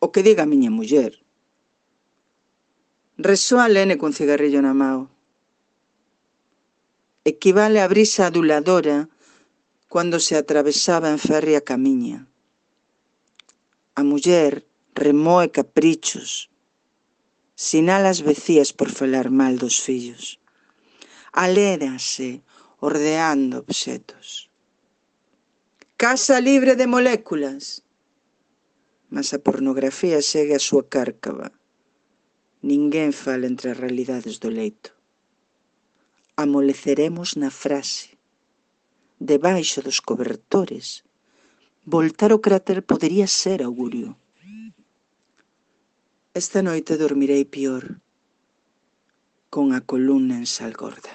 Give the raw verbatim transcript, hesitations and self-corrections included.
O que diga a miña muller. Resoa Lene cun cigarrillo na mao. Equivale a brisa aduladora cando se atravesaba en ferry a camiña. A muller remoe caprichos, sinala as vecías por falar mal dos fillos. Alérase ordeando obxetos. Casa libre de moléculas. Mas a pornografía segue a súa cárcava. Ninguén fala entre as realidades do leito. Amoleceremos na frase. Debaixo dos cobertores, voltar o cráter podería ser augurio. Esta noite dormirei pior, con a columna en sal gorda.